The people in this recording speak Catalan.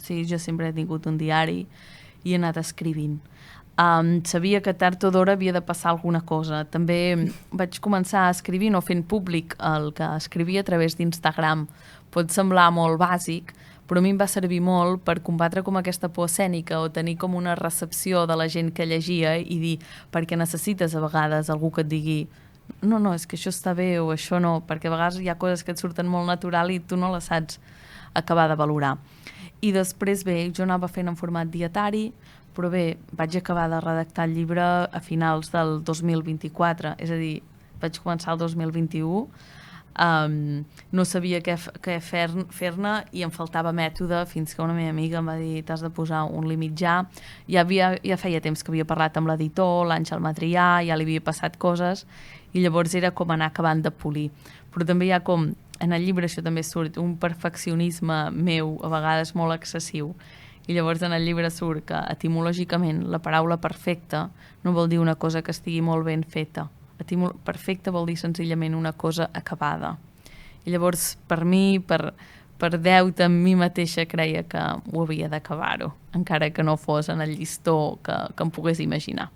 sigui, jo sempre he tingut un diari i he anat escrivint. Sabia que tard o d'hora havia de passar alguna cosa. També vaig començar escrivint o fent públic el que escrivia a través d'Instagram. Pot semblar molt bàsic, però a mi em va servir molt per combatre com aquesta por escènica o tenir com una recepció de la gent que llegia i dir, perquè necessites a vegades algú que et digui no, és que això està bé o això no, perquè a vegades hi ha coses que et surten molt natural i tu no les saps acabar de valorar. I després, bé, jo anava fent en format dietari, però bé, vaig acabar de redactar el llibre a finals del 2024, és a dir, vaig començar el 2021, no sabia què fer-ne i em faltava mètode fins que una meva amiga em va dir t'has de posar un límit ja. Ja feia temps que havia parlat amb l'editor, l'Àngel Matrià, ja li havia passat coses i llavors era com anar acabant de polir. Però també hi ha com, en el llibre això també surt, un perfeccionisme meu a vegades molt excessiu. I llavors en el llibre surt que etimològicament la paraula perfecta no vol dir una cosa que estigui molt ben feta. Perfecte vol dir senzillament una cosa acabada. I llavors per mi, per deute amb mi mateixa, creia que ho havia d'acabar-ho, encara que no fos en el llistó que em pogués imaginar.